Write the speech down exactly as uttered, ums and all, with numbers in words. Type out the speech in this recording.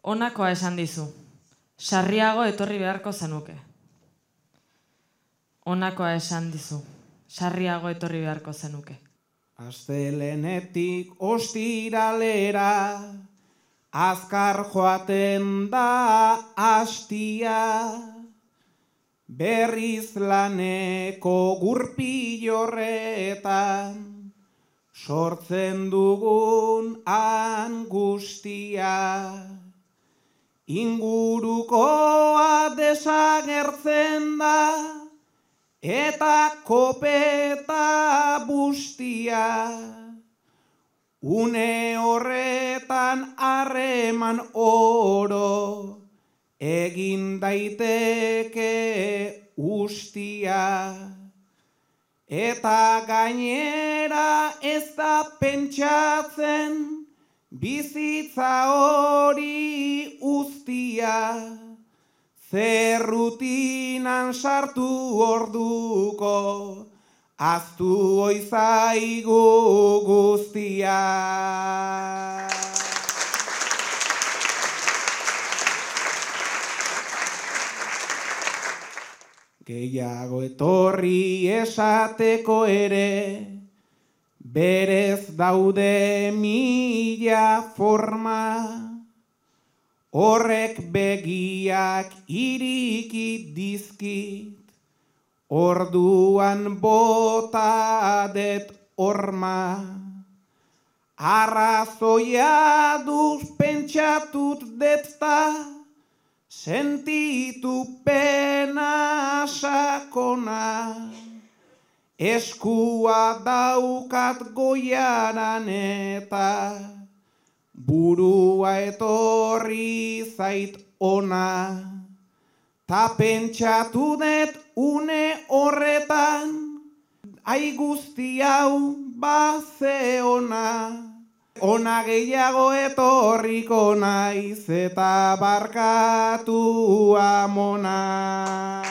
Honakoa esan dizu, sarriago etorri beharko zenuke. Honakoa esan dizu, sarriago etorri beharko zenuke. Astelenetik ostiralera, azkar joaten da astia, berriz laneko gurpilorretan, sortzen dugun angustia. Ingurukoa desagertzen da, eta kopeta bustia. Une horretan harreman oro, egin daiteke ustia. Eta gainera ez da pentsatzen, bizitza hori uztia, zer rutinan sartu orduko, aztu oizaigu guztia. Gehiago etorri esateko ere, berez daude mila forma, horrek begiak iriki dizkit, orduan bota det horma. Arrazoia duz pentsatut detza, sentitu pena sakona. Eskua daukat goiaran eta burua etorri zait ona. Ta pentsatu dut une horretan, ai guzti hau baze ona. Ona gehiago etorriko naiz eta barkatu amona.